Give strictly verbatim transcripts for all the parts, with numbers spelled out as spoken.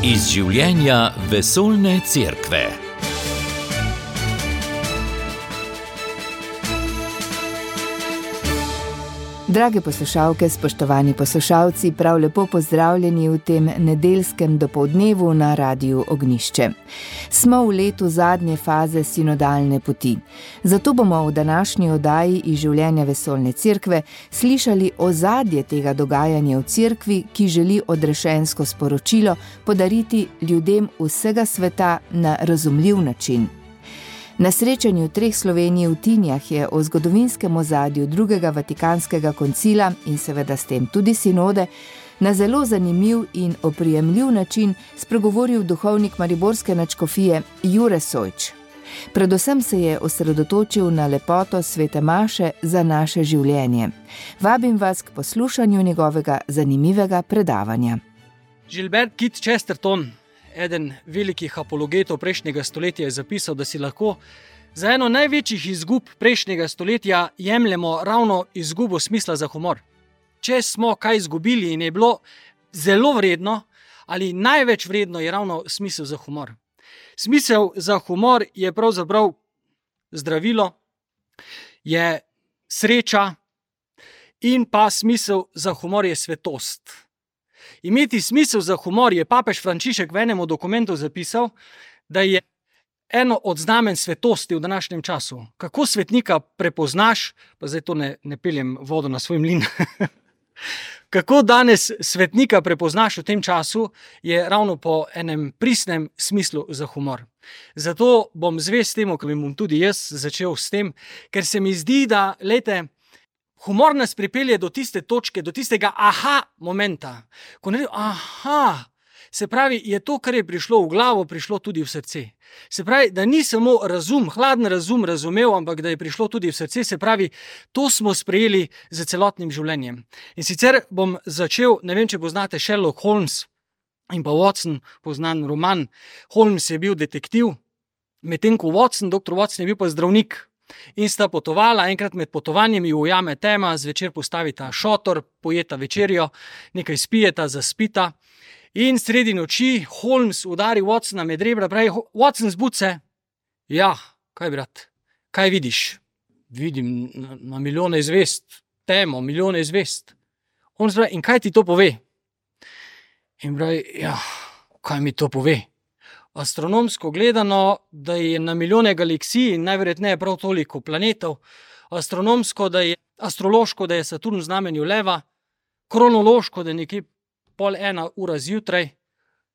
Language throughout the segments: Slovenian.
Iz življenja vesoljne cerkve. Drage poslušalke, spoštovani poslušalci, prav lepo pozdravljeni v tem nedeljskem dopoldnevu na Radiu Ognjišče. Smo v letu zadnje faze sinodalne poti. Zato bomo v današnji oddaji iz življenja vesoljne cerkve slišali ozadje tega dogajanja v cerkvi, ki želi odrešensko sporočilo podariti ljudem vsega sveta na razumljiv način. Na srečanju treh Slovenij v Tinjah je o zgodovinskem ozadju drugega Vatikanskega koncila in seveda s tem tudi sinode na zelo zanimiv in oprijemljiv način spregovoril duhovnik mariborske nadškofije Jure Sojč. Predvsem se je osredotočil na lepoto svete maše za naše življenje. Vabim vas k poslušanju njegovega zanimivega predavanja. Gilbert Keith Chesterton, eden velikih apologetov prejšnjega stoletja, je zapisal, da si lahko za eno največjih izgub prejšnjega stoletja jemljemo ravno izgubo smisla za humor. Če smo kaj izgubili in je bilo zelo vredno ali največ vredno, je ravno smisel za humor. Smisel za humor je pravzaprav zdravilo, je sreča in pa smisel za humor je svetost. Imeti smisel za humor je papež Frančišek v enem dokumentu zapisal, da je eno od znamen svetosti v današnjem času. Kako svetnika prepoznaš, pa zdaj to ne, ne peljem vodo na svoj mlin, kako danes svetnika prepoznaš v tem času, je ravno po enem pristnem smislu za humor. Zato bom zvest temu, ko bom tudi jaz začel s tem, ker se mi zdi, da, lejte, humor nas pripelje do tiste točke, do tistega aha momenta. Ko ne aha, se pravi, je to, kar je prišlo v glavo, prišlo tudi v srce. Se pravi, da ni samo razum, hladen razum razumel, ampak da je prišlo tudi v srce, se pravi, to smo sprejeli z celotnim življenjem. In sicer bom začel, ne vem, če poznate Sherlock Holmes in pa Watson, poznan roman. Holmes je bil detektiv, medtem ko Watson, doktor Watson je bil pa zdravnik. In sta potovala, enkrat med potovanjem ju ujame tema, zvečer postavita šotor, pojeta večerjo, nekaj spijeta, zaspita in sredi noči Holmes udari Watsona med rebra, pravi: Watson, zbud se. Ja, kaj brat, kaj vidiš? Vidim na, na milijone zvezd, temo, milijone zvezd. Holmes pravi: in kaj ti to pove? In pravi: ja, kaj mi to pove? Astronomsko gledano, da je na milijone galaksij in najverjetneje prav toliko planetov, astronomsko, da je astrološko, da je Saturn v znamenju leva, kronološko, da je nekje pol ena ura zjutraj,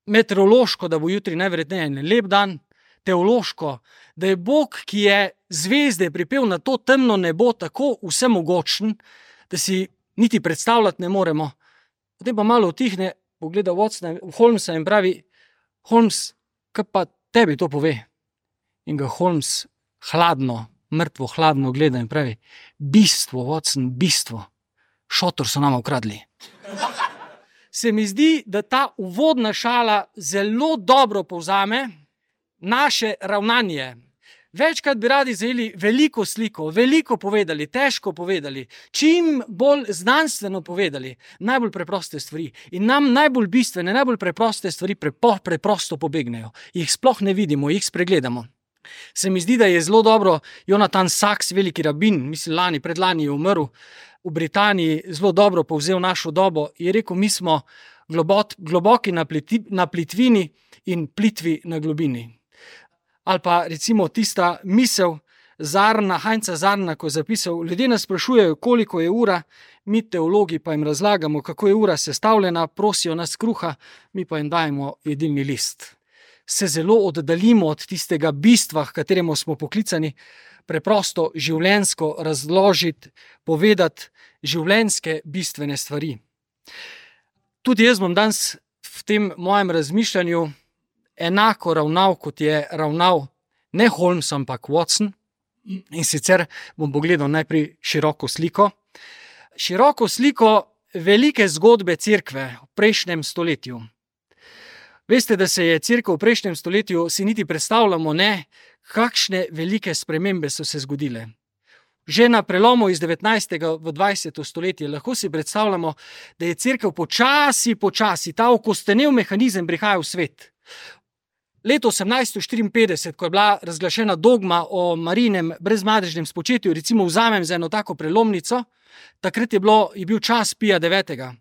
meteorološko, da bo jutri najverjetneje en lep dan, teološko, da je Bog, ki je zvezde pripel na to temno nebo, tako vsemogočen, da si niti predstavljati ne moremo. Potem pa malo utihne, pogleda Watsona, Holmesa in pravi: Holmes, kaj pa tebi to pove? In ga Holmes hladno, mrtvo hladno gleda in pravi: bistvo, Watson, bistvo. Šotor so nama ukradli. Se mi zdi, da ta uvodna šala zelo dobro povzame naše ravnanje. Večkrat bi radi zajeli veliko sliko, veliko povedali, težko povedali, čim bolj znanstveno povedali, najbolj preproste stvari. In nam najbolj bistvene, najbolj preproste stvari prepo, preprosto pobegnejo. Jih sploh ne vidimo, jih spregledamo. Se mi zdi, da je zelo dobro Jonathan Sacks, veliki rabin, mislim lani, predlani je umrl, v Britaniji zelo dobro povzel našo dobo. Je rekel: mi smo globot, globoki na, pliti, na plitvini in plitvi na globini. Ali pa recimo tista misel Zarna, Heinza Zarna, ko je zapisal: ljudje nas sprašujejo, koliko je ura, mi teologi pa jim razlagamo, kako je ura sestavljena, prosijo nas kruha, mi pa jim dajemo jedilni list. Se zelo oddaljimo od tistega bistva, h kateremu smo poklicani, preprosto življenjsko razložiti, povedati življenjske bistvene stvari. Tudi jaz bom danes v tem mojem razmišljanju enako ravnal, kot je ravnal ne Holmes, ampak Watson. In sicer bom pogledal najprej široko sliko. Široko sliko velike zgodbe cerkve v prejšnjem stoletju. Veste, da se je cerkev v prejšnjem stoletju, si niti predstavljamo ne, kakšne velike spremembe so se zgodile. že na prelomu iz devetnajstega v dvajseto stoletje. Lahko si predstavljamo, da je cerkev počasi, počasi, ta okostenel mehanizem prihaja v svet. Leto osemnajststo štiriinpetdeset, ko je bila razglašena dogma o Marijinem brezmadežnem spočetju, recimo vzamem za eno tako prelomnico, takrat je, bilo, je bil čas Pija devetega.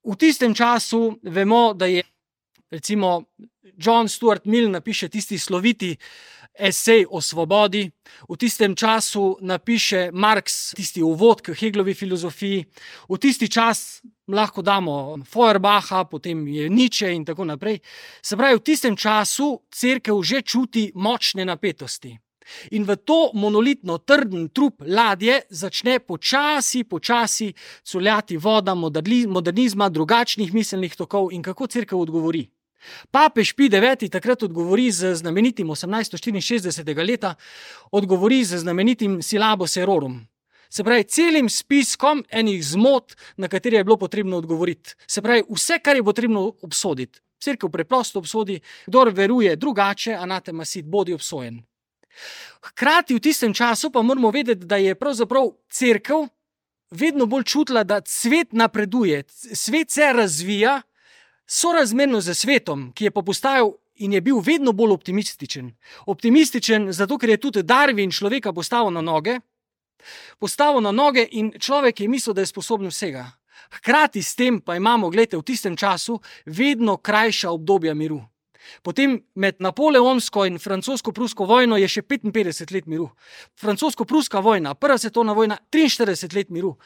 V tistem času vemo, da je recimo John Stuart Mill napiše tisti sloviti esej o svobodi, v tistem času napiše Marx tisti uvod k Heglovi filozofiji, v tisti čas lahko damo Feuerbacha, potem je Nietzsche in tako naprej. Se pravi, v tistem času cerkev že čuti močne napetosti. In v to monolitno, trden trup ladje začne počasi, počasi culjati voda modernizma, drugačnih miselnih tokov in kako cerkev odgovori. Papež Pij deveti takrat odgovori z znamenitim osemnajststo štiriinšestdesetega leta, odgovori z znamenitim Syllabus Errorum. Se pravi, celim spiskom enih zmot, na katere je bilo potrebno odgovoriti. Se pravi, vse, kar je potrebno obsoditi. Cerkev preprosto obsodi, kdor veruje drugače, anatema sit, bodi obsojen. Hkrati v tistem času pa moramo vedeti, da je pravzaprav cerkev vedno bolj čutila, da svet napreduje, svet se razvija, sorazmerno z svetom, ki je pa postajal in je bil vedno bolj optimističen. Optimističen zato, ker je tudi Darwin človeka postavil na noge, postavil na noge in človek je mislil, da je sposoben vsega. Hkrati s tem pa imamo, gledajte, v tistem času vedno krajša obdobja miru. Potem med napoleonsko in francosko-prusko vojno je še petinpetdeset let miru. Francosko-pruska vojna, prva svetovna vojna, triinštirideset let miru.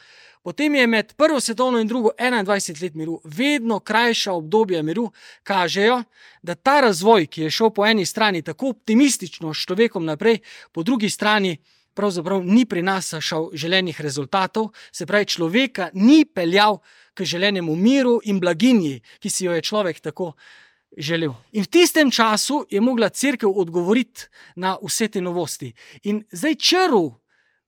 Potem je med prvo svetovno in drugo enaindvajset let miru. Vedno krajša obdobja miru kažejo, da ta razvoj, ki je šel po eni strani tako optimistično s človekom naprej, po drugi strani pravzaprav ni prinašal želenih rezultatov, se pravi, človeka ni peljal k želenemu miru in blaginji, ki si jo je človek tako želel. In v tistem času je mogla cerkev odgovoriti na vse te novosti. In zdaj črv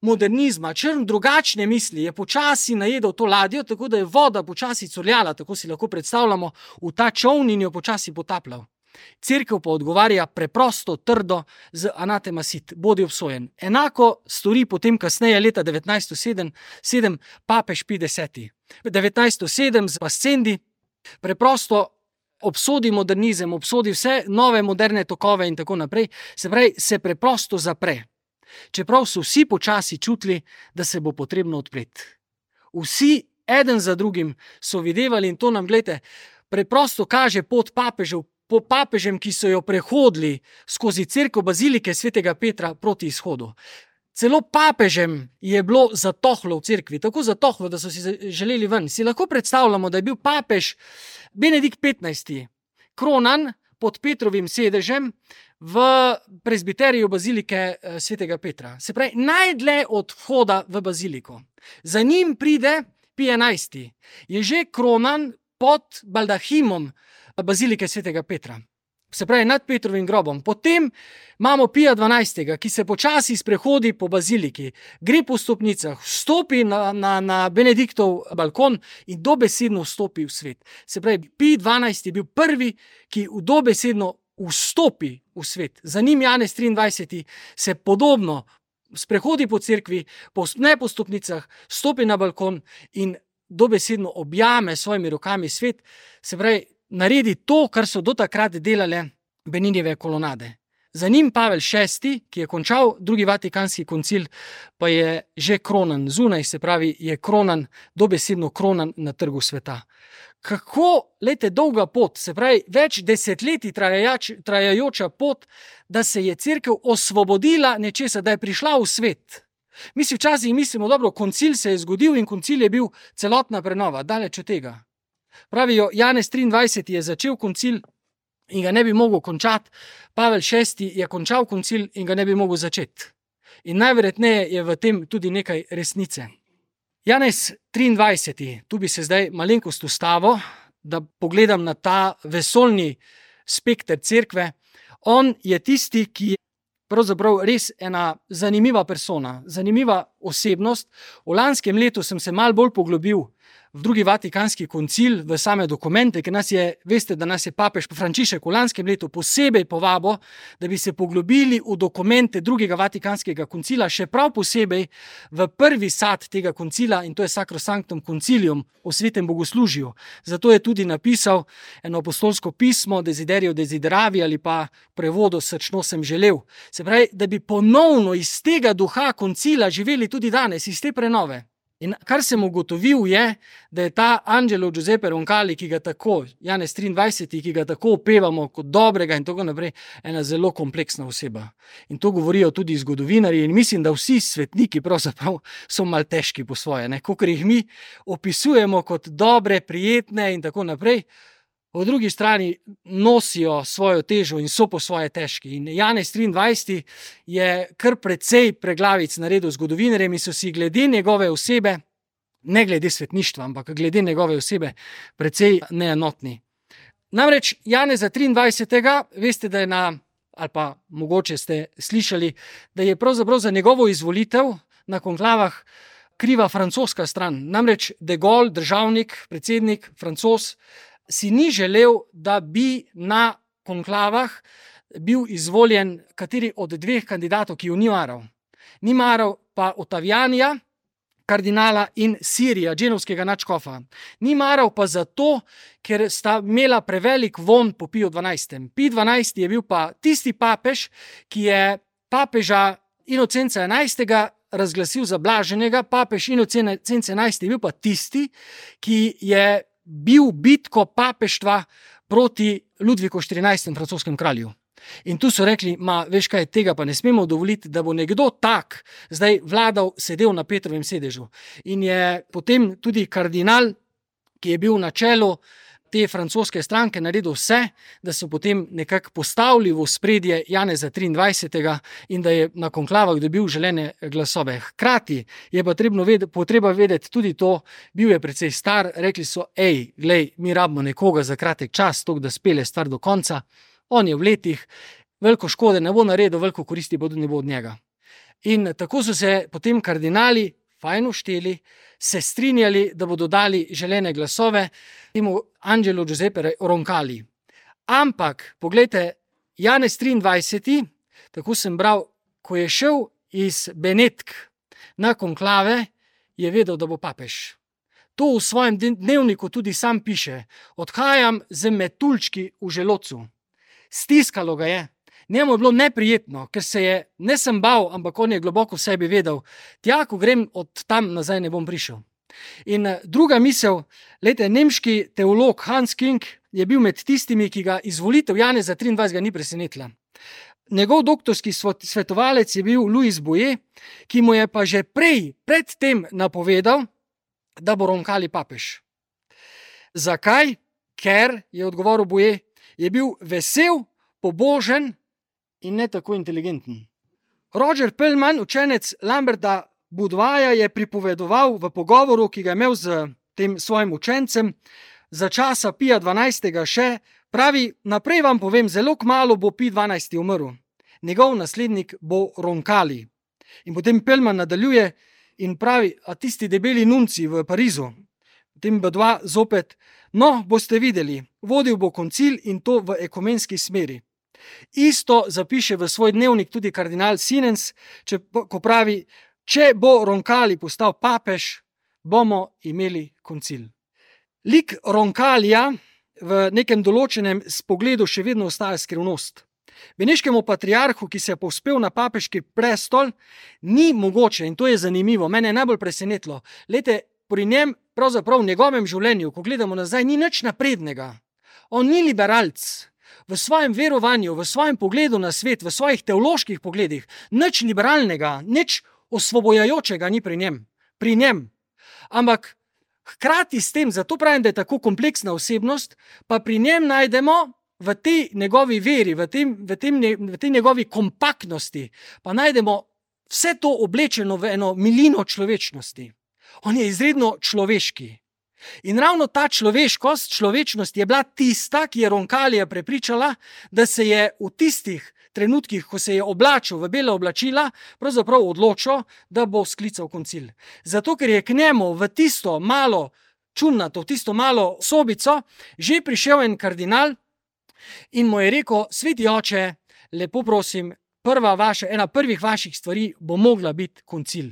modernizma, črn drugačne misli je počasi najedel to ladjo, tako da je voda počasi curljala, tako si lahko predstavljamo, v ta čoln in jo počasi potapljal. Cerkev pa odgovarja preprosto, trdo z anatema sit, bodi obsojen. Enako stori potem kasneje leta devetnajststo sedem papež Pij deseti. devetnajststo sedem z Pascendi preprosto obsodi modernizem, obsodi vse nove moderne tokove in tako naprej, se pravi, se preprosto zapre. Čeprav so vsi počasi čutili, da se bo potrebno odpreti. Vsi, eden za drugim, so videvali in to nam, gledajte, preprosto kaže pot papežev, po papežem, ki so jo prehodili skozi cerkev bazilike svetega Petra proti izhodu. Celo papežem je bilo zatohlo v cerkvi, tako zatohlo, da so si želeli ven. Si lahko predstavljamo, da je bil papež Benedikt petnajsti kronan pod Petrovim sedežem v prezbiteriju bazilike svetega Petra. Se pravi, najdlje od vhoda v baziliko. Za njim pride Pij enajsti. Je že kronan pod baldahimom bazilike svetega Petra. Se pravi, nad Petrovim grobom. Potem imamo Pija dvanajstega, ki se počasi sprehodi po baziliki, gre po stopnicah, vstopi na, na, na Benediktov balkon in dobesedno vstopi v svet. Se pravi, Pij dvanajsti je bil prvi, ki dobesedno vstopi v svet. Za njim Janez triindvajseti se podobno sprehodi po cerkvi, ne po stopnicah, stopi na balkon in dobesedno objame s svojimi rokami svet. Se pravi, naredi to, kar so do takrat delale Beninjeve kolonade. Za njim Pavel šesti, ki je končal drugi vatikanski koncil, pa je že kronan zunaj, se pravi, je kronan, dobesedno kronan na trgu sveta. Kako, lejte, dolga pot, se pravi, več desetletij trajajoč, trajajoča pot, da se je cerkev osvobodila nečesa, da je prišla v svet. Mi si včasih mislimo, dobro, koncil se je zgodil in koncil je bil celotna prenova, daleč od tega. Pravijo, Janez triindvajseti je začel koncil in ga ne bi mogel končati, Pavel šesti je končal koncil in ga ne bi mogel začeti. In najverjetneje je v tem tudi nekaj resnice. Janez triindvajseti, tu bi se zdaj malenkost ustavil, da pogledam na ta vesoljni spekter cerkve. On je tisti, ki je pravzaprav res ena zanimiva persona, zanimiva osebnost. V lanskem letu sem se malo bolj poglobil v drugi vatikanski koncil, v same dokumente, ker nas je, veste, da nas je papež Frančišek v lanskem letu posebej povabo, da bi se poglobili v dokumente drugega vatikanskega koncila, še prav posebej v prvi sad tega koncila, in to je Sacrosanctum Concilium o svetem bogoslužju. Zato je tudi napisal eno apostolsko pismo Desiderio Desideravi ali pa prevodu Srčno sem želel. Se pravi, da bi ponovno iz tega duha koncila živeli tudi danes, iz te prenove. In kar sem ugotovil je, da je ta Angelo Giuseppe Roncalli, ki ga tako, Janez triindvajseti, ki ga tako opevamo kot dobrega in tako naprej, ena zelo kompleksna oseba. In to govorijo tudi zgodovinarji in mislim, da vsi svetniki pravzaprav so mal težki po svoje, ne? Kakor jih mi opisujemo kot dobre, prijetne in tako naprej, po drugi strani nosijo svojo težo in so po svoje težki. In Janez triindvajseti je kar precej preglavic naredil zgodovinarjem in so si glede njegove osebe, ne glede svetništva, ampak glede njegove osebe, precej neenotni. Namreč Janeza triindvajsetega, veste, da je na, ali pa mogoče ste slišali, da je pravzaprav za njegovo izvolitev na konklavah kriva francoska stran. Namreč de Gaulle, državnik, predsednik, Francoz, si ni želel, da bi na konklavah bil izvoljen kateri od dveh kandidatov, ki jo ni maral. Ni maral pa Ottavianija, kardinala, in Sirija, dženovskega nadškofa. Ni maral pa zato, ker sta imela prevelik von po Piju dvanajstem. Pij dvanajsti je bil pa tisti papež, ki je papeža Inocenca enajstega razglasil za blaženega, papež Inocenc enajsti je bil pa tisti, ki je bil bitko papeštva proti Ludviku štirinajstemu, francoskem kralju. In tu so rekli, ma veš kaj, tega pa ne smemo dovoliti, da bo nekdo tak zdaj vladal, sedel na Petrovem sedežu. In je potem tudi kardinal, ki je bil na čelu te francoske stranke, naredil vse, da so potem nekako postavili v ospredje Janeza triindvajsetega in da je na konklavah dobil želene glasove. Hkrati je pa vedeti, potreba vedeti tudi to, bil je precej star, rekli so, ej, glej, mi rabimo nekoga za kratek čas, tok da spele stvar do konca. On je v letih, veliko škode ne bo naredil, veliko koristi pa tudi ne bo od njega. In tako so se potem kardinali fajn ušteli, se strinjali, da bodo dali želene glasove temu Angelo Giuseppe Roncalli. Ampak, poglejte, Janez triindvajseti, tako sem bral, ko je šel iz Benetk na konklave, je vedel, da bo papež. To v svojem dnevniku tudi sam piše. Odhajam z metuljčki v želodcu. Stiskalo ga je. Njemu je bilo neprijetno, ker se je, ne sem bal, ampak on je globoko v sebi vedel, tja, ko grem od tam nazaj, ne bom prišel. In druga misel, lejte, nemški teolog Hans King je bil med tistimi, ki ga izvolitev Janeza triindvajsetega ni presenetila. Njegov doktorski svetovalec je bil Louis Bouyer, ki mu je pa že prej, pred tem napovedal, da bo Roncalli papež. Zakaj? Ker, je odgovoril Bouyer, je bil vesel, pobožen in ne tako inteligenten. Roger Pellman, učenec Lamberta Boudoirja, je pripovedoval v pogovoru, ki ga je imel z tem svojim učencem, za časa Pija dvanajstega še, pravi, naprej vam povem, zelo kmalu bo Pij dvanajsti umrl. Njegov naslednik bo Roncalli. In potem Pellman nadaljuje in pravi, a tisti debeli nunci v Parizu, potem Boudoir zopet, no, boste videli, vodil bo koncil in to v ekumenski smeri. Isto zapiše v svoj dnevnik tudi kardinal Sinens, če, ko pravi, če bo Roncalli postal papež, bomo imeli koncil. Lik Roncallija v nekem določenem pogledu še vedno ostaja skrivnost. Beneškemu patriarhu, ki se je povzpel na papeški prestol, ni mogoče, in to je zanimivo, mene je najbolj presenetilo, lejte, pri njem, pravzaprav v njegovem življenju, ko gledamo nazaj, ni nič naprednega. On ni liberalc. V svojem verovanju, v svojem pogledu na svet, v svojih teoloških pogledih, nič liberalnega, nič osvobojajočega ni pri njem. Pri njem. Ampak hkrati s tem, zato pravim, da je tako kompleksna osebnost, pa pri njem najdemo v tej njegovi veri, v, tem, v, tem, v tej njegovi kompaktnosti, pa najdemo vse to oblečeno v eno milino človečnosti. On je izredno človeški. In ravno ta človeškost, človečnost je bila tista, ki je Roncallija prepričala, da se je v tistih trenutkih, ko se je oblačil v bela oblačila, pravzaprav odločil, da bo sklical koncil. Zato, ker je k njemu v tisto malo čumnato, v tisto malo sobico, že prišel en kardinal in mu je rekel: sveti oče, lepo prosim, prva vaša, ena prvih vaših stvari bo mogla biti koncil.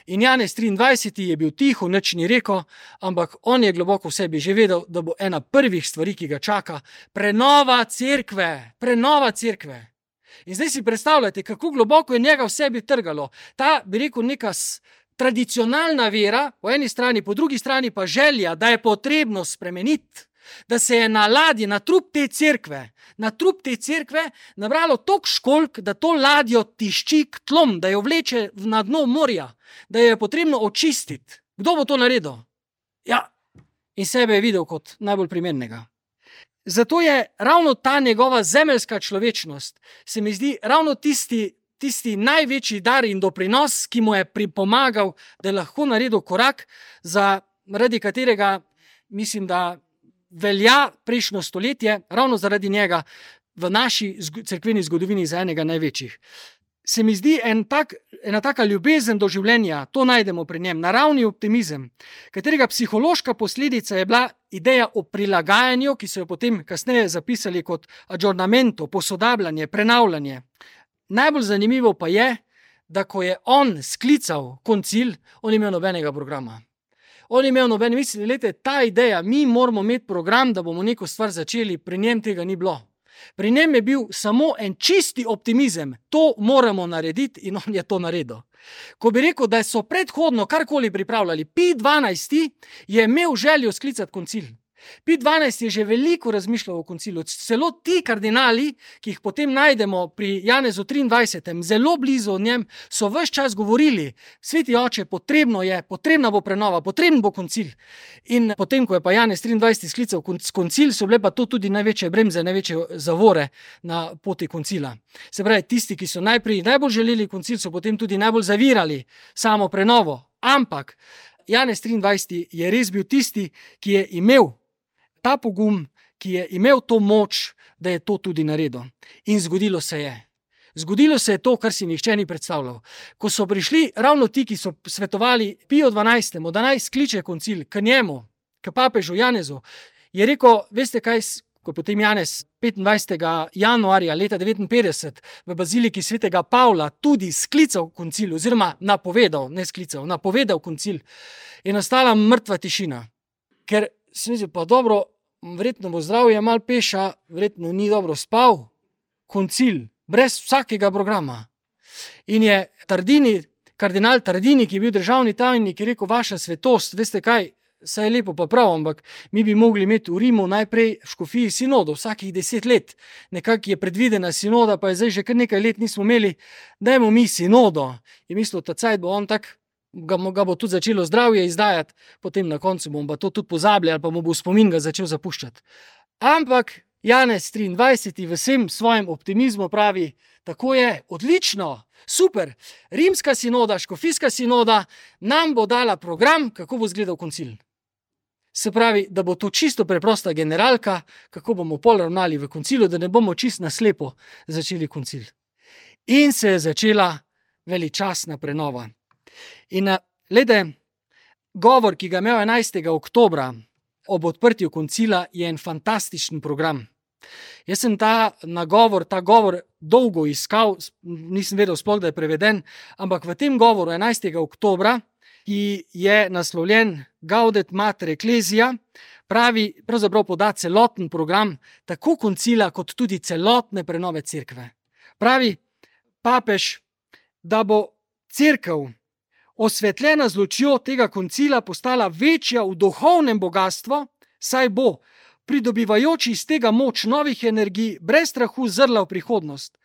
In Janez triindvajseti je bil tiho, nič ni rekel, ampak on je globoko v sebi že vedel, da bo ena prvih stvari, ki ga čaka, prenova cerkve, prenova cerkve. In zdaj si predstavljate, kako globoko je njega v sebi trgalo. Ta, bi rekel, neka tradicionalna vera, po eni strani, po drugi strani pa želja, da je potrebno spremeniti, da se je na ladji, na trup te cerkve, na trup te cerkve nabralo toliko školjk, da to ladjo tišči k tlom, da jo vleče na dno morja, da jo je potrebno očistiti. Kdo bo to naredil? Ja, in sebe je videl kot najbolj primernega. Zato je ravno ta njegova zemeljska človečnost, se mi zdi, ravno tisti, tisti največji dar in doprinos, ki mu je pripomagal, da je lahko naredil korak, zaradi katerega mislim, da velja prejšnjo stoletje, ravno zaradi njega v naši cerkveni zgodovini za enega največjih. Se mi zdi en tak, ena taka ljubezen do življenja, to najdemo pri njem, naravni optimizem, katerega psihološka posledica je bila ideja o prilagajanju, ki so jo potem kasneje zapisali kot aggiornamento, posodabljanje, prenavljanje. Najbolj zanimivo pa je, da ko je on sklical koncil, on ni imel nobenega programa. On je imel noben, mislim, lete, ta ideja, mi moramo imeti program, da bomo neko stvar začeli, pri njem tega ni bilo. Pri njem je bil samo en čisti optimizem, to moramo narediti in on je to naredil. Ko bi rekel, da so predhodno karkoli pripravljali, Pij dvanajsti je imel željo sklicati koncil. Pij dvanajsti je že veliko razmišljal o koncilu. Celo ti kardinali, ki jih potem najdemo pri Janezu triindvajsetem, zelo blizu od njem, so ves čas govorili: sveti oče, potrebno je, potrebna bo prenova, potreben bo koncil. In potem, ko je pa Janez triindvajseti sklical koncil, so bile pa to tudi največje bremze, največje zavore na poti koncila. Se pravi, tisti, ki so najprej najbolj želeli koncil, so potem tudi najbolj zavirali samo prenovo. Ampak Janez triindvajseti je res bil tisti, ki je imel ta pogum, ki je imel to moč, da je to tudi naredil. In zgodilo se je. Zgodilo se je to, kar si nihče ni predstavljal. Ko so prišli ravno ti, ki so svetovali Piju dvanajstemu, da naj skliče koncil k njemu, k papežu Janezu, je rekel: veste kaj, ko je potem Janez petindvajsetega januarja leta devetinpetdeset v baziliki svetega Pavla tudi sklical koncil, oziroma napovedal, ne sklical, napovedal koncil, je nastala mrtva tišina. Ker se mi zdi, pa dobro, verjetno bo zdravje malo peša, verjetno ni dobro spal, koncil, brez vsakega programa. In je Tardini, kardinal Tardini, ki je bil državni tajnik, je rekel: vaša svetost, veste kaj, saj je lepo pa prav, ampak mi bi mogli imeti v Rimu najprej v škofiji sinodo, vsakih deset let. Nekako je predvidena sinoda, pa je zdaj že kar nekaj let nismo imeli, dajmo mi sinodo. In mislil, ta cajt bo on tak, Ga, ga bo tudi začelo zdravje izdajati, potem na koncu bomo pa to tudi pozabili ali pa mu bo spomin ga začel zapuščati. Ampak Janez triindvajseti v vsem svojem optimizmu pravi: tako je, odlično, super, rimska sinoda, škofijska sinoda nam bo dala program, kako bo izgledal koncil. Se pravi, da bo to čisto preprosta generalka, kako bomo pol ravnali v koncilu, da ne bomo čisto naslepo začeli koncil. In se je začela veličastna prenova. In glede, govor, ki ga je imel enajstega oktobra ob odprtju koncila, je en fantastičen program. Jaz sem ta nagovor, ta govor dolgo iskal, nisem vedel sploh, da je preveden, ampak v tem govoru enajstega oktobra, ki je naslovljen Gaudet Mater Ecclesia, pravi, pravzaprav poda celoten program, tako koncila, kot tudi celotne prenove cerkve. Pravi papež, da bo cerkev osvetljena z lučjo tega koncila postala večja v duhovnem bogastvu, saj bo, pridobivajoč iz tega moč novih energij, brez strahu zrla v prihodnost.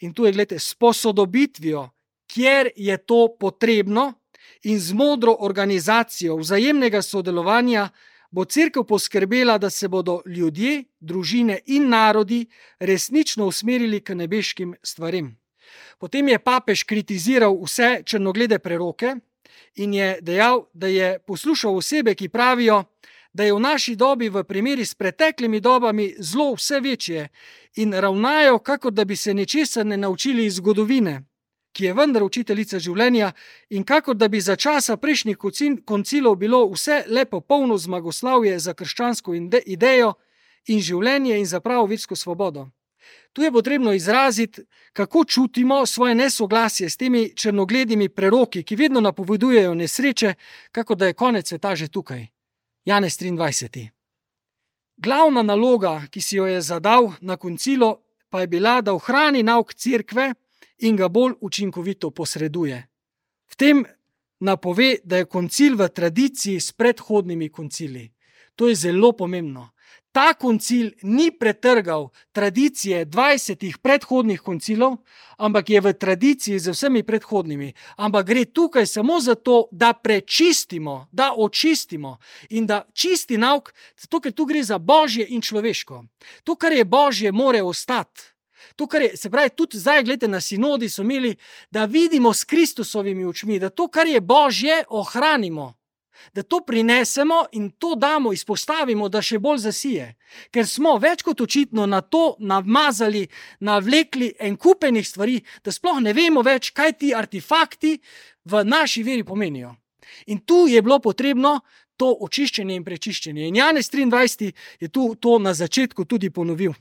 In tu je, gledajte, s posodobitvijo, kjer je to potrebno, in z modro organizacijo vzajemnega sodelovanja bo cerkev poskrbela, da se bodo ljudje, družine in narodi resnično usmerili k nebeškim stvarem. Potem je papež kritiziral vse črnoglede preroke in je dejal, da je poslušal osebe, ki pravijo, da je v naši dobi v primeri s preteklimi dobami zlo vse večje in ravnajo, kakor da bi se nečesa ne naučili iz zgodovine, ki je vendar učiteljica življenja, in kakor da bi za časa prejšnjih koncilov bilo vse lepo polno zmagoslavje za krščansko idejo in življenje in za pravo versko svobodo. Tu je potrebno izraziti, kako čutimo svoje nesoglasje s temi črnogledimi preroki, ki vedno napovedujejo nesreče, kako da je konec sveta že tukaj. Janez triindvajseti. Glavna naloga, ki si jo je zadal na koncilu, pa je bila, da ohrani nauk cerkve in ga bolj učinkovito posreduje. V tem napove, da je koncil v tradiciji s predhodnimi koncili. To je zelo pomembno. Ta koncil ni pretrgal tradicije dvajsetih predhodnih koncilov, ampak je v tradiciji z vsemi predhodnimi. Ampak gre tukaj samo za to, da prečistimo, da očistimo in da čisti nauk, zato ker tu gre za božje in človeško. To, kar je božje, more ostati. To, kar je, se pravi, tudi zdaj, gledajte, na sinodi so imeli, da vidimo s Kristusovimi očmi, da to, kar je božje, ohranimo. Da to prinesemo in to damo, izpostavimo, da še bolj zasije. Ker smo več kot očitno na to namazali, navlekli en kupenih stvari, da sploh ne vemo več, kaj ti artefakti v naši veri pomenijo. In tu je bilo potrebno to očiščenje in prečiščenje. In Janez triindvajseti je tu to na začetku tudi ponovil.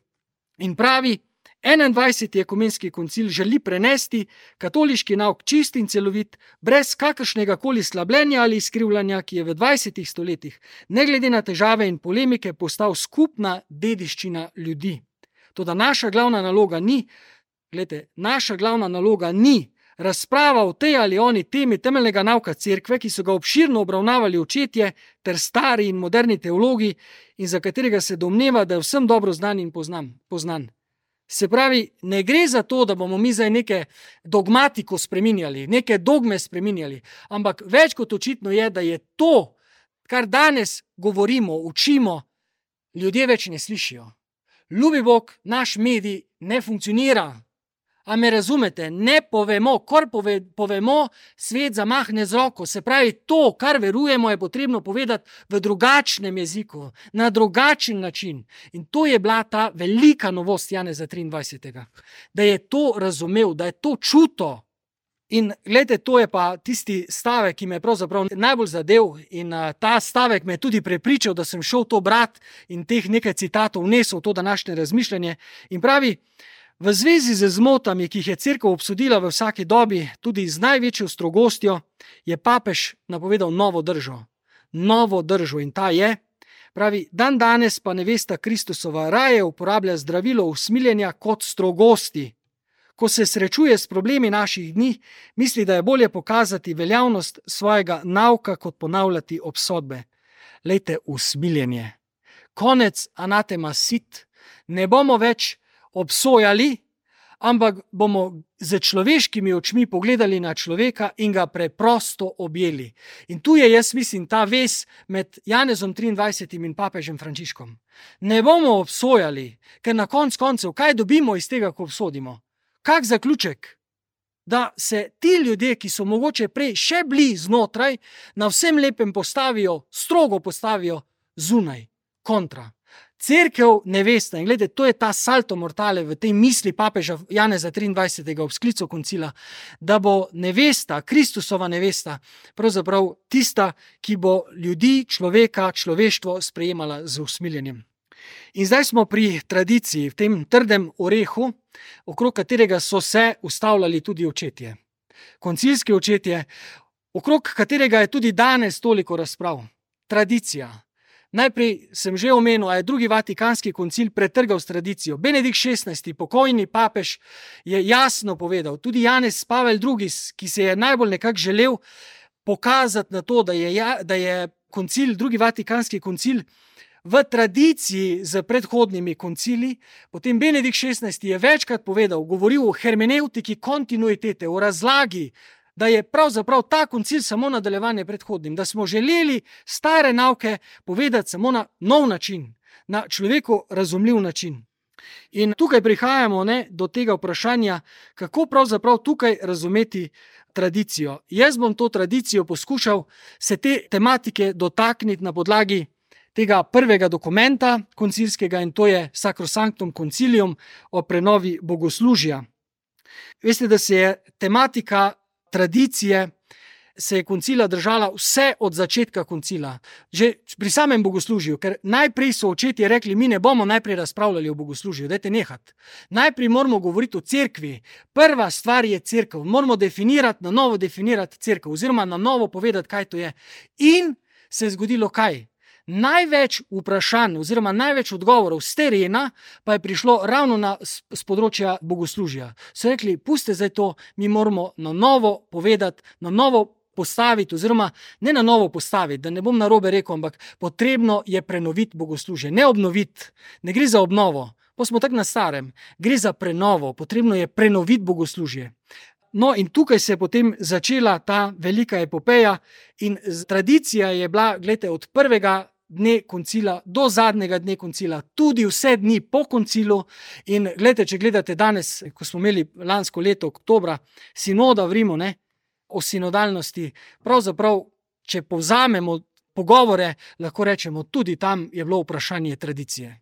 In pravi, enaindvajseti ekumenski koncil želi prenesti katoliški nauk čist in celovit, brez kakršnega koli slabljenja ali izkrivljanja, ki je v dvajsetih stoletjih, ne glede na težave in polemike, postal skupna dediščina ljudi. Toda naša glavna naloga ni, gledajte, naša glavna naloga ni razprava o tej ali oni temi temeljnega nauka cerkve, ki so ga obširno obravnavali očetje ter stari in moderni teologi in za katerega se domneva, da je vsem dobro znan in poznan. poznan. Se pravi, ne gre za to, da bomo mi zdaj neke dogmatiko spreminjali, neke dogme spreminjali, ampak več kot očitno je, da je to, kar danes govorimo, učimo, ljudje več ne slišijo. Ljubi Bog, naš medij ne funkcionira. A me razumete? Ne povemo, kar pove, povemo, svet zamahne z roko. Se pravi, to, kar verujemo, je potrebno povedati v drugačnem jeziku, na drugačen način. In to je bila ta velika novost Janeza triindvajsetega. Da je to razumel, da je to čuto. In gledajte, to je pa tisti stavek, ki me je pravzaprav najbolj zadev in uh, ta stavek me je tudi prepričal, da sem šel to brat in teh nekaj citatov vnesel v to današnje razmišljanje. In pravi, v zvezi z zmotami, ki jih je cerkev obsodila v vsaki dobi, tudi z največjo strogostjo, je papež napovedal novo držo. Novo držo in ta je, pravi, dan danes pa nevesta Kristusova raje uporablja zdravilo usmiljenja kot strogosti. Ko se srečuje s problemi naših dni, misli, da je bolje pokazati veljavnost svojega nauka, kot ponavljati obsodbe. Lejte, usmiljenje. Konec anatema sit. Ne bomo več obsojali, ampak bomo z človeškimi očmi pogledali na človeka in ga preprosto objeli. In tu je, jaz mislim, ta vez med Janezom triindvajsetim in papežem Frančiškom. Ne bomo obsojali, ker na konc koncev, kaj dobimo iz tega, ko obsodimo? Kak zaključek? Da se ti ljudje, ki so mogoče prej še bili znotraj, na vsem lepem postavijo, strogo postavijo zunaj, kontra. Cerkev nevesta, in gledajte, to je ta salto mortale v tej misli papeža Janeza triindvajsetega ob sklicu koncila, da bo nevesta, Kristusova nevesta, pravzaprav tista, ki bo ljudi, človeka, človeštvo sprejemala z usmiljenjem. In zdaj smo pri tradiciji, v tem trdem orehu, okrog katerega so se ustavljali tudi očetje. Koncilski očetje, okrog katerega je tudi danes toliko razprav. Tradicija. Najprej sem že omenil, a je drugi vatikanski koncil pretrgal s tradicijo. Benedikt šestnajsti, pokojni papež, je jasno povedal, tudi Janez Pavel drugi, ki se je najbolj nekako želel pokazati na to, da je, da je koncil, drugi vatikanski koncil v tradiciji z predhodnimi koncili. Potem Benedikt šestnajsti je večkrat povedal, govoril o hermeneutiki kontinuitete, o razlagi, da je pravzaprav ta koncil samo nadaljevanje predhodnim, da smo želeli stare nauke povedati samo na nov način, na človeku razumljiv način. In tukaj prihajamo ne, do tega vprašanja, kako pravzaprav tukaj razumeti tradicijo. Jaz bom to tradicijo poskušal se te tematike dotakniti na podlagi tega prvega dokumenta koncilskega, in to je Sacrosanctum Concilium o prenovi bogoslužja. Veste, da se je tematika tradicije, se je koncila držala vse od začetka koncila. Že pri samem bogoslužju, ker najprej so očetje rekli, mi ne bomo najprej razpravljali o bogoslužju, dajte nehat. Najprej moramo govoriti o cerkvi. Prva stvar je cerkev. Moramo definirati, na novo definirati cerkev, oziroma na novo povedati, kaj to je. In se je zgodilo kaj? Največ vprašanj oziroma največ odgovorov z terena pa je prišlo ravno na, z področja bogoslužja. So rekli, puste zdaj to, mi moramo na novo povedati, na novo postaviti, oziroma ne na novo postaviti, da ne bom narobe rekel, ampak potrebno je prenoviti bogoslužje, ne obnoviti, ne gre za obnovo, pa smo tako na starem, gre za prenovo, potrebno je prenoviti bogoslužje. No in tukaj se je potem začela ta velika epopeja in tradicija je bila, gledajte, od prvega dne koncila do zadnjega dne koncila, tudi vse dni po koncilu. In gledajte, če gledate danes, ko smo imeli lansko leto oktobra sinoda v Rimu, ne, o sinodalnosti, pravzaprav, če povzamemo pogovore, lahko rečemo, tudi tam je bilo vprašanje tradicije.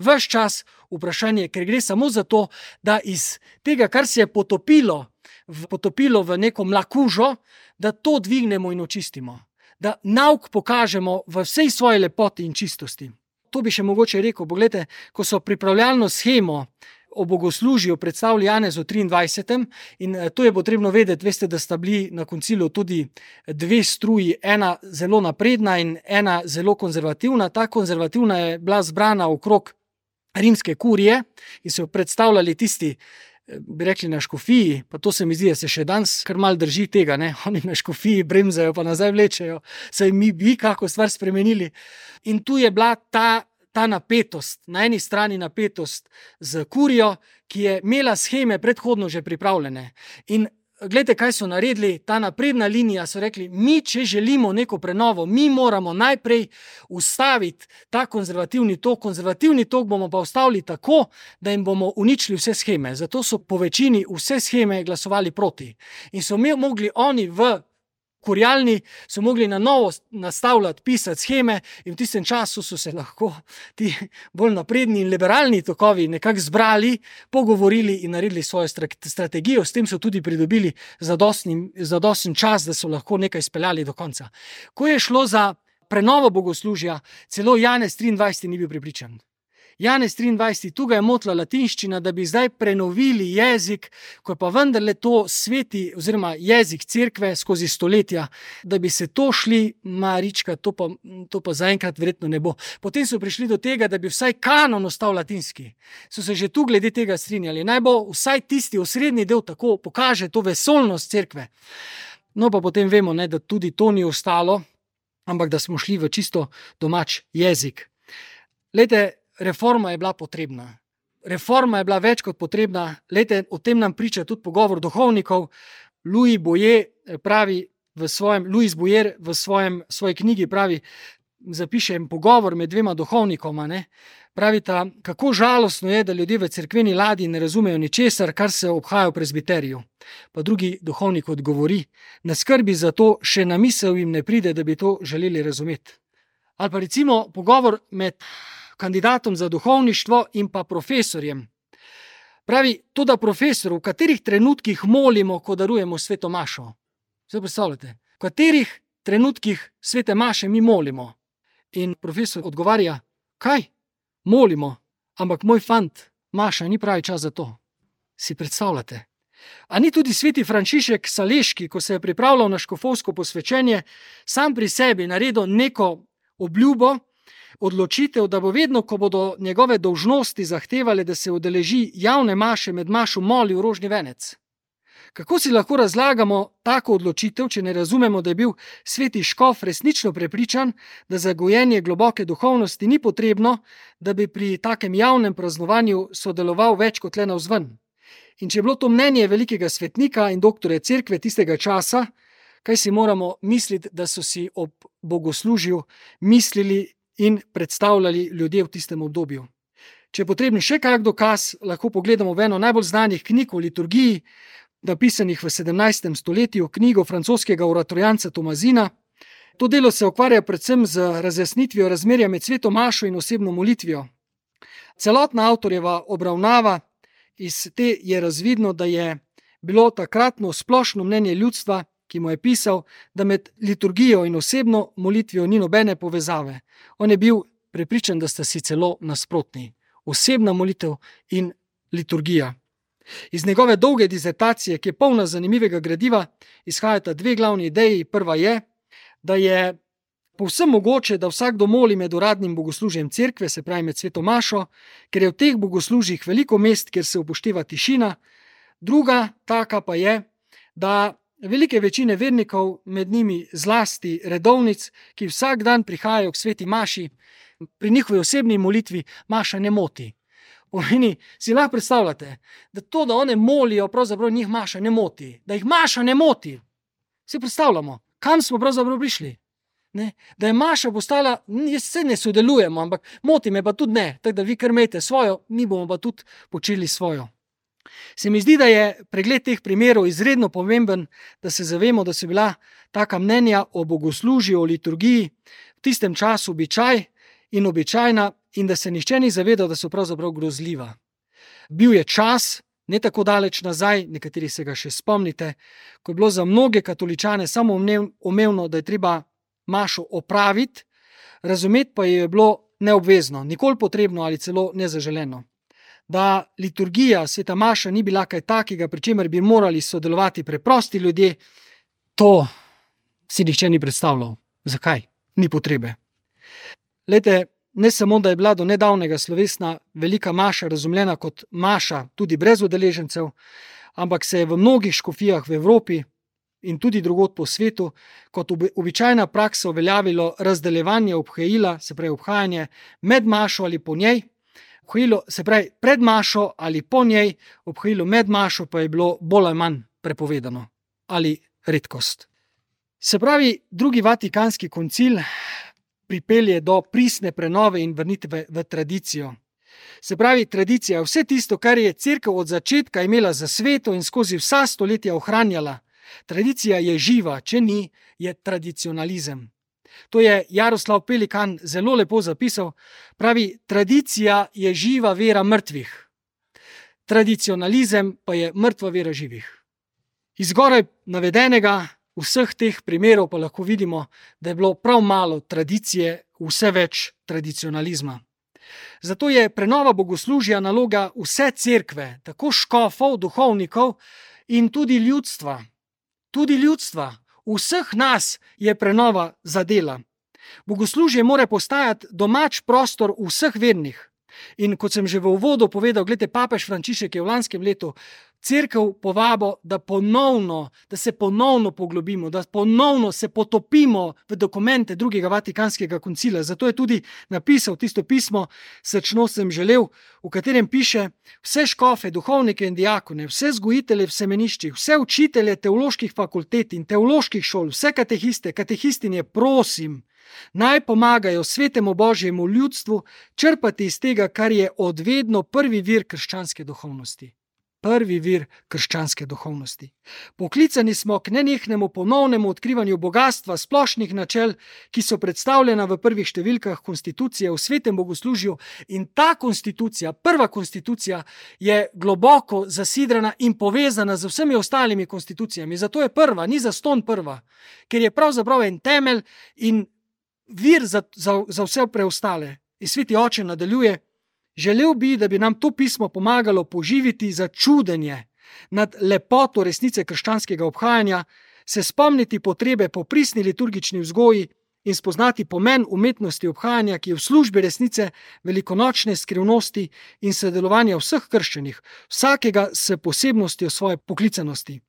Ves čas vprašanje, ker gre samo za to, da iz tega, kar se je potopilo, v, potopilo v neko mlakužo, da to dvignemo in očistimo. Da nauk pokažemo v vsej svoji lepoti in čistosti. To bi še mogoče rekel, pogledajte, ko so pripravljalno shemo o bogoslužju predstavili Janezu triindvajsetem in to je potrebno vedeti, veste, da sta bili na koncilu tudi dve struji, ena zelo napredna in ena zelo konzervativna. Ta konzervativna je bila zbrana okrog rimske kurije in so predstavljali tisti, bi rekli na škofiji, pa to se mi zdi, da se še danes kar mal drži tega, ne? Oni na škofiji bremzajo, pa nazaj vlečejo, saj mi bi kako stvar spremenili. In tu je bila ta, ta napetost, na eni strani napetost z kurijo, ki je imela sheme predhodno že pripravljene. In gledajte, kaj so naredili, ta napredna linija, so rekli, mi, če želimo neko prenovo, mi moramo najprej ustaviti ta konzervativni tok, konzervativni tok bomo pa ustavili tako, da jim bomo uničili vse sheme. Zato so po večini vse sheme glasovali proti. In so mogli oni v kurjalni, so mogli na novo nastavljati, pisati sheme in v tistem času so se lahko ti bolj napredni in liberalni tokovi nekako zbrali, pogovorili in naredili svojo strategijo, s tem so tudi pridobili zadosten čas, da so lahko nekaj speljali do konca. Ko je šlo za prenovo bogoslužja, celo Janez triindvajseti ni bil prepričan. Janez triindvajseti, tu ga je motila latinščina, da bi zdaj prenovili jezik, ko je pa vendarle to sveti oziroma jezik cerkve skozi stoletja, da bi se to šli, Marička, to pa, to pa zaenkrat verjetno ne bo. Potem so prišli do tega, da bi vsaj kanon ostal latinski. So se že tu glede tega strinjali. Naj bo vsaj tisti osrednji del tako pokaže to vesolnost cerkve. No pa potem vemo, ne, da tudi to ni ostalo, ampak da smo šli v čisto domač jezik. Lejte, reforma je bila potrebna. Reforma je bila več kot potrebna. Lejte, o tem nam priča tudi pogovor duhovnikov. Louis Boyer pravi v svojem, Louis Boyer v svojem, svoji knjigi pravi, zapiše pogovor med dvema duhovnikoma, ne? Pravita, kako žalostno je, da ljudje v cerkveni ladji ne razumejo ničesar, kar se obhaja v prezbiteriju. Pa drugi duhovnik odgovori, na skrbi za to še na misel jim ne pride, da bi to želeli razumeti. Ali pa recimo pogovor med kandidatom za duhovništvo in pa profesorjem. Pravi, to da profesor, v katerih trenutkih molimo, ko darujemo sveto mašo. Zdaj predstavljate, v katerih trenutkih svete maše mi molimo. In profesor odgovarja, kaj? Molimo, ampak moj fant, maša ni pravi čas za to. Si predstavljate? A ni tudi sveti Frančišek Saleški, ko se je pripravljal na škofovsko posvečenje, sam pri sebi naredil neko obljubo, odločitev, da bo vedno, ko bodo njegove dolžnosti zahtevali, da se udeleži javne maše, med mašo molil rožni venec. Kako si lahko razlagamo tako odločitev, če ne razumemo, da je bil sveti škof resnično prepričan, da za gojenje globoke duhovnosti ni potrebno, da bi pri takem javnem praznovanju sodeloval več kot le navzven. In če je bilo to mnenje velikega svetnika in doktorja cerkve tistega časa, kaj si moramo misliti, da so si ob bogoslužju mislili in predstavljali ljudje v tistem obdobju. Če je potrebni še kak dokaz, lahko pogledamo v eno najbolj znanih knjig o liturgiji, napisanih v sedemnajstem stoletju, knjigo francoskega oratorijanca Tomazina. To delo se ukvarja predvsem z razjasnitvijo razmerja med sveto mašo in osebno molitvijo. Celotna avtorjeva obravnava iz te je razvidno, da je bilo takratno splošno mnenje ljudstva, ki mu je pisal, da med liturgijo in osebno molitvijo ni nobene povezave. On je bil prepričan, da sta si celo nasprotni. Osebna molitev in liturgija. Iz njegove dolge disertacije, ki je polna zanimivega gradiva, izhajata dve glavni ideji. Prva je, da je povsem mogoče, da vsakdo moli med uradnim bogoslužjem cerkve, se pravi med sveto mašo, ker je v teh bogoslužjih veliko mest, kjer se upošteva tišina. Druga taka pa je, da velike večine vernikov, med njimi zlasti redovnic, ki vsak dan prihajajo k sveti maši, pri njihovi osebni molitvi maša ne moti. Pomeni, si lahko predstavljate, da to, da one molijo, pravzaprav njih maša ne moti. Da jih maša ne moti. Si predstavljamo, kam smo pravzaprav prišli. Ne? Da je maša postala, jaz se ne sodelujemo, ampak moti me pa tudi ne. Tako da vi kar imejte svojo, mi bomo pa tudi počeli svojo. Se mi zdi, da je pregled teh primerov izredno pomemben, da se zavemo, da so bila taka mnenja o bogoslužju, o liturgiji v tistem času običaj in običajna in da se nihče ni zavedal, da so pravzaprav grozljiva. Bil je čas, ne tako daleč nazaj, nekateri se ga še spomnite, ko je bilo za mnoge katoličane samo umevno, da je treba mašo opraviti, razumeti pa je bilo neobvezno, nikoli potrebno ali celo nezaželeno. Da liturgija, sveta maša ni bila kaj takega, pri čemer bi morali sodelovati preprosti ljudje, to si nihče ni predstavljal. Zakaj? Ni potrebe. Lejte, ne samo, da je bila do nedavnega slovesna velika maša razumljena kot maša tudi brez udeležencev, ampak se je v mnogih škofijah v Evropi in tudi drugod po svetu kot običajna praksa uveljavilo razdeljevanje obhajila, se pravi obhajanje med mašo ali po njej, obhajilo, se pravi pred mašo ali po njej, obhajilo med mašo pa je bilo bolj ali manj prepovedano ali redkost. Se pravi, drugi vatikanski koncil pripelje do pristne prenove in vrnitve v tradicijo. Se pravi, tradicija je vse tisto, kar je cerkev od začetka imela za sveto in skozi vsa stoletja ohranjala. Tradicija je živa, če ni, je tradicionalizem. To je Jaroslav Pelikan zelo lepo zapisal. Pravi, tradicija je živa vera mrtvih. Tradicionalizem pa je mrtva vera živih. Iz zgoraj navedenega vseh teh primerov pa lahko vidimo, da je bilo prav malo tradicije, vse več tradicionalizma. Zato je prenova bogoslužja naloga vse cerkve, tako škofov, duhovnikov in tudi ljudstva. Tudi ljudstva, vseh nas je prenova zadela. Bogoslužje mora postajati domač prostor vseh vernih. In kot sem že v uvodu povedal, gledajte, papež Frančišek je v lanskem letu cerkev povabo, da ponovno, da se ponovno poglobimo, da ponovno se potopimo v dokumente drugega vatikanskega koncila. Zato je tudi napisal tisto pismo Srčno sem želel, v katerem piše: vse škofe, duhovnike in diakone, vse vzgojitelje v semeniščih, vse učitelje teoloških fakultet in teoloških šol, vse katehiste, katehistinje, prosim, naj pomagajo svetemu Božjemu ljudstvu črpati iz tega, kar je odvedno prvi vir krščanske duhovnosti. Prvi vir krščanske duhovnosti. Poklicani smo k nenehnemu ponovnemu odkrivanju bogatstva splošnih načel, ki so predstavljena v prvih številkah konstitucije v svetem bogoslužju, in ta konstitucija, prva konstitucija, je globoko zasidrana in povezana z vsemi ostalimi konstitucijami. Zato je prva, ni zastonj prva, ker je pravzaprav en temelj in vir za, za, za vse preostale. In sveti oče nadaljuje: želel bi, da bi nam to pismo pomagalo poživiti začudenje nad lepoto resnice krščanskega obhajanja, se spomniti potrebe po pristni liturgični vzgoji in spoznati pomen umetnosti obhajanja, ki je v službi resnice, velikonočne skrivnosti in sodelovanja vseh krščenih, vsakega s posebnostjo svoje poklicanosti.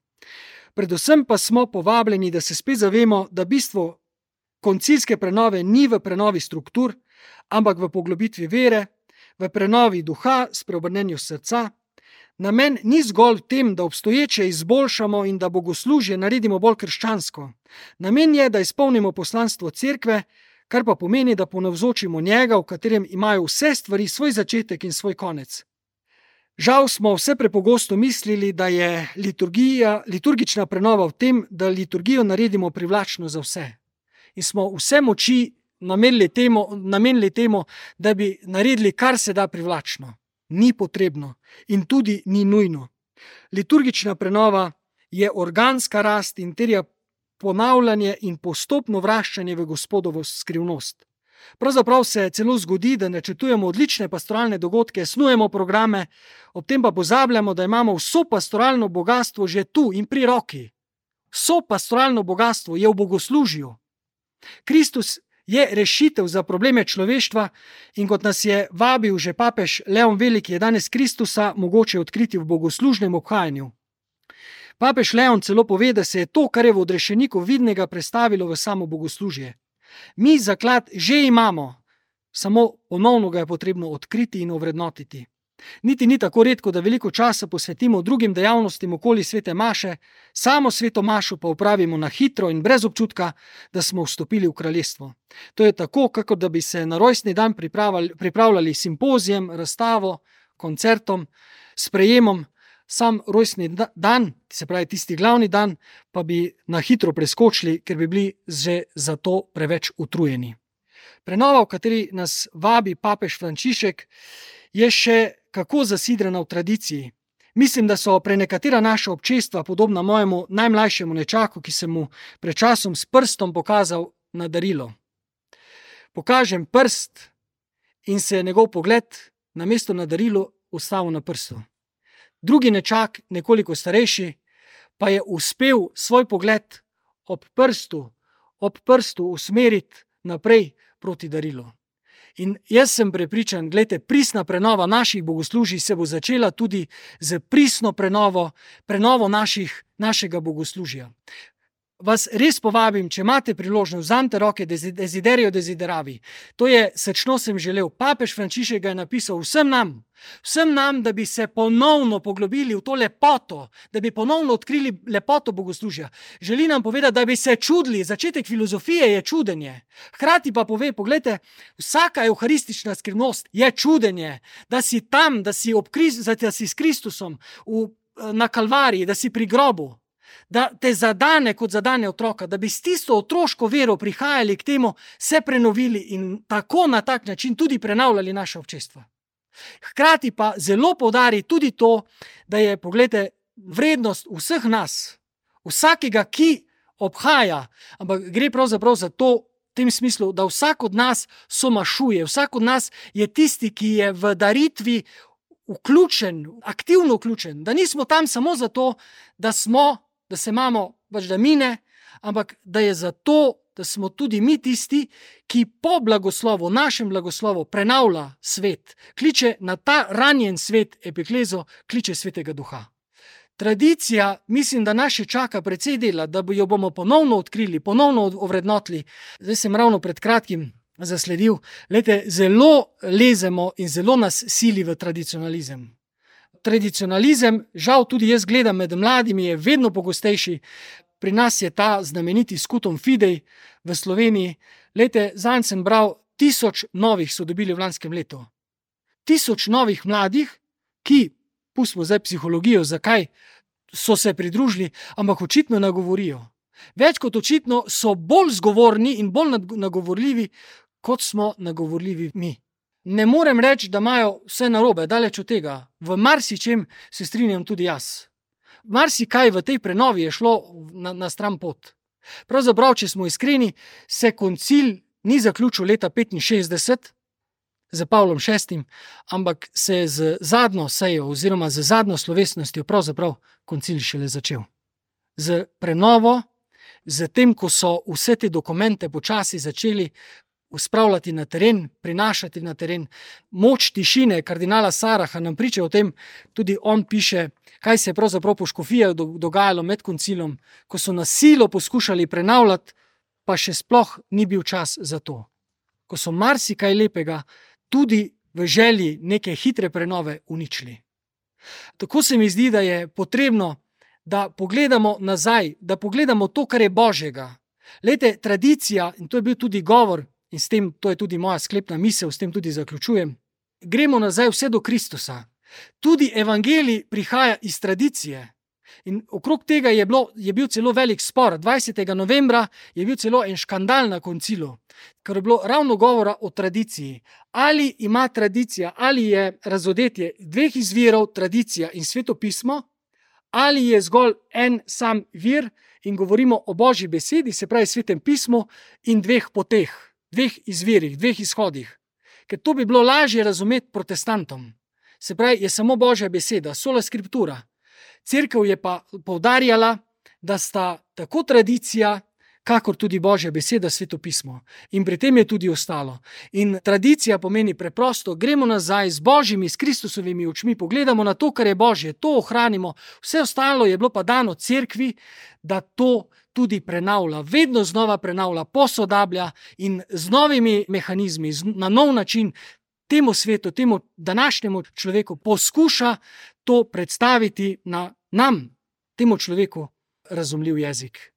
Predvsem pa smo povabljeni, da se spet zavemo, da bistvo koncilske prenove ni v prenovi struktur, ampak v poglobitvi vere, v prenovi duha, spreobrnenju srca. Namen ni zgolj v tem, da obstoječe izboljšamo in da bogoslužje naredimo bolj krščansko. Namen je, da izpolnimo poslanstvo cerkve, kar pa pomeni, da ponavzočimo njega, v katerem imajo vse stvari svoj začetek in svoj konec. Žal smo vse prepogosto mislili, da je liturgija, liturgična prenova v tem, da liturgijo naredimo privlačno za vse. In smo vse moči namenili temu, namenili temu, da bi naredili kar se da privlačno. ni potrebno in tudi ni nujno. Liturgična prenova je organska rast in terja ponavljanje in postopno vraščanje v Gospodovo skrivnost. Pravzaprav se celo zgodi, da načrtujemo odlične pastoralne dogodke, snujemo programe, ob tem pa pozabljamo, da imamo vso pastoralno bogastvo že tu in pri roki. Vso pastoralno bogastvo je v bogoslužju. Kristus je rešitev za probleme človeštva in kot nas je vabil že papež Leon Veliki, je danes Kristusa mogoče odkriti v bogoslužnem obhajanju. Papež Leon celo pove, da se je to, kar je v odrešeniku vidnega, prestavilo v samo bogoslužje. Mi zaklad že imamo, samo ponovno ga je potrebno odkriti in ovrednotiti. Niti ni tako redko, da veliko časa posvetimo drugim dejavnostim okoli svete maše, samo sveto mašo pa opravimo na hitro in brez občutka, da smo vstopili v kraljestvo. To je tako, kakor da bi se na rojstni dan pripravljali simpozijem, razstavo, koncertom, sprejemom, sam rojstni dan, se pravi tisti glavni dan, pa bi na hitro preskočili, ker bi bili že za to preveč utrujeni. Prenova, v kateri nas vabi papež Frančišek, je še kako zasidrana v tradiciji. Mislim, da so prenekatera naša občestva podobna mojemu najmlajšemu nečaku, ki sem mu pred časom s prstom pokazal na darilo. Pokažem prst in se je njegov pogled namesto na darilo ustavil na prstu. Drugi nečak, nekoliko starejši, pa je uspel svoj pogled ob prstu, ob prstu usmeriti naprej proti darilu. In jaz sem prepričan, glejte, pristna prenova naših bogoslužij se bo začela tudi z pristno prenovo, prenovo naših, našega bogoslužja. Vas res povabim, če imate priložnost, vzamite roke Desiderio Desideravi. To je srčno sem želel. Papež Frančišek ga je napisal vsem nam, vsem nam, da bi se ponovno poglobili v to lepoto, da bi ponovno odkrili lepoto bogoslužja. Želi nam povedati, da bi se čudili. Začetek filozofije je čudenje. Hkrati pa pove, poglejte, vsaka euharistična skrivnost je čudenje, da si tam, da si, ob, da si s Kristusom v, na Kalvariji, da si pri grobu. Da te zadane kot zadane otroka, da bi s tisto otroško vero prihajali k temu, se prenovili in tako na tak način tudi prenavljali naše občestva. Hkrati pa zelo poudari tudi to, da je, poglejte, vrednost vseh nas, vsakega, ki obhaja, ampak gre pravzaprav za to, v tem smislu, da vsak od nas somašuje, vsak od nas je tisti, ki je v daritvi vključen, aktivno vključen, da nismo tam samo zato, da smo, da se imamo, pač da mine, ampak da je zato, da smo tudi mi tisti, ki po blagoslovu, našem blagoslovu prenavlja svet, kliče na ta ranjen svet, epiklezo, kliče svetega duha. Tradicija, mislim, da nas še čaka precej dela, da jo bomo ponovno odkrili, ponovno ovrednotili. Zdaj sem ravno pred kratkim zasledil, lejte, zelo lezemo in zelo nas sili v tradicionalizem. Tradicionalizem, žal tudi jaz gledam med mladimi, je vedno pogostejši. Pri nas je ta znameniti Scutum Fidei v Sloveniji. Lejte, zanj sem bral, tisoč novih so dobili v lanskem letu. Tisoč novih mladih, ki, pustimo zdaj psihologijo, zakaj so se pridružili, ampak očitno nagovorijo. Več kot očitno so bolj zgovorni in bolj nagovorljivi, kot smo nagovorljivi mi. Ne morem reči, da imajo vse narobe, daleč od tega. V marsičem se strinjam tudi jaz. Marsikaj v tej prenovi je šlo na, na stran pot. Pravzaprav, če smo iskreni, se koncil ni zaključil leta petinšestdeset z Pavlom šestim, ampak se je z zadnjo sejo oziroma z zadnjo slovesnostjo pravzaprav koncil šele začel. Z prenovo, z tem, ko so vse te dokumente počasi začeli spravljati na teren, prinašati na teren. Moč tišine kardinala Saraha nam priča o tem, tudi on piše, kaj se je pravzaprav po škofijah dogajalo med koncilom, ko so na silo poskušali prenavljati, pa še sploh ni bil čas za to. Ko so marsikaj lepega tudi v želji neke hitre prenove uničili. Tako se mi zdi, da je potrebno, da pogledamo nazaj, da pogledamo to, kar je Božjega. Lejte, tradicija, in to je bil tudi govor, in s tem, to je tudi moja sklepna misel, s tem tudi zaključujem, gremo nazaj vse do Kristusa. Tudi evangelij prihaja iz tradicije. In okrog tega je, bilo, je bil celo velik spor. dvajsetega novembra je bil celo en škandal na koncilu, ker je bilo ravno govora o tradiciji. Ali ima tradicija, ali je razodetje dveh izvirov, tradicija in svetopismo, ali je zgolj en sam vir in govorimo o Božji besedi, se pravi svetem pismu in dveh poteh, dveh izvirih, dveh izhodih. Ker to bi bilo lažje razumeti protestantom. Se pravi, je samo Božja beseda, sola skriptura. Cerkev je pa poudarjala, da sta tako tradicija, kakor tudi Božja beseda, svetopismo. In pri tem je tudi ostalo. In tradicija pomeni preprosto, gremo nazaj z Božjimi, s Kristusovimi očmi, pogledamo na to, kar je Božje, to ohranimo. Vse ostalo je bilo pa dano cerkvi, da to tudi prenavlja, vedno znova prenavlja, posodablja in z novimi mehanizmi, na nov način temu svetu, temu današnjemu človeku poskuša to predstaviti na nam, temu človeku, razumljiv jezik.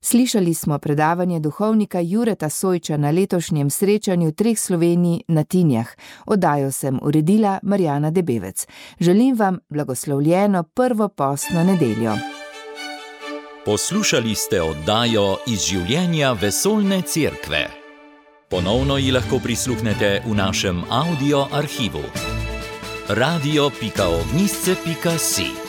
Slišali smo predavanje duhovnika Jureta Sojča na letošnjem srečanju treh Slovenij na Tinjah. Oddajo sem uredila Marjana Debevec. Želim vam blagoslovljeno prvo postno nedeljo. Poslušali ste oddajo iz življenja Vesoljne cerkve. Ponovno ji lahko prisluhnete v našem audio arhivu. radio pika ognjišče pika si